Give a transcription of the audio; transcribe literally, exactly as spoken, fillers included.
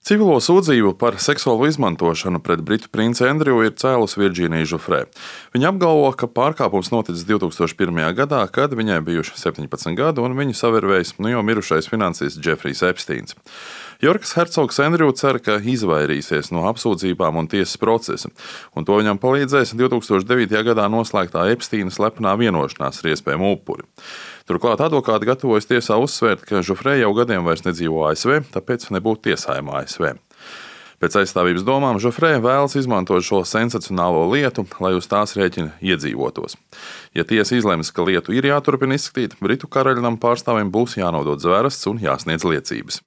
Civilo sūdzību par seksuālu izmantošanu pret britu princi Andriju ir cēlusi Virdžīnija Žufrē. Viņa apgalvo, ka pārkāpums noticis divs tūkstoš pirmajā gadā, kad viņai bijuši septiņpadsmit gadi un viņu savervējis nu jau mirušais finansists Džefrijs Epsteins. Jorkas hercogs Andriju cer, ka izvairīsies no apsūdzībām un tiesas procesa, un to viņam palīdzēs divs tūkstoš devītajā gadā noslēgtā Epsteina slepenā vienošanās ar iespējamu upuri. Turklāt advokāti gatavojas tiesā uzsvērt, ka Žufrē jau gadiem vairs nedzīvo A S V, tāpēc nebūtu tiesājama A S V. Pēc aizstāvības domām Žufrē vēlas izmantot šo sensacionālo lietu, lai uz tās rēķina iedzīvotos. Ja tiesa izlems, ka lietu ir jāturpina izskatīt, Britu karaļnama pārstāvjiem būs jānodod zvērests un jāsniedz liecības.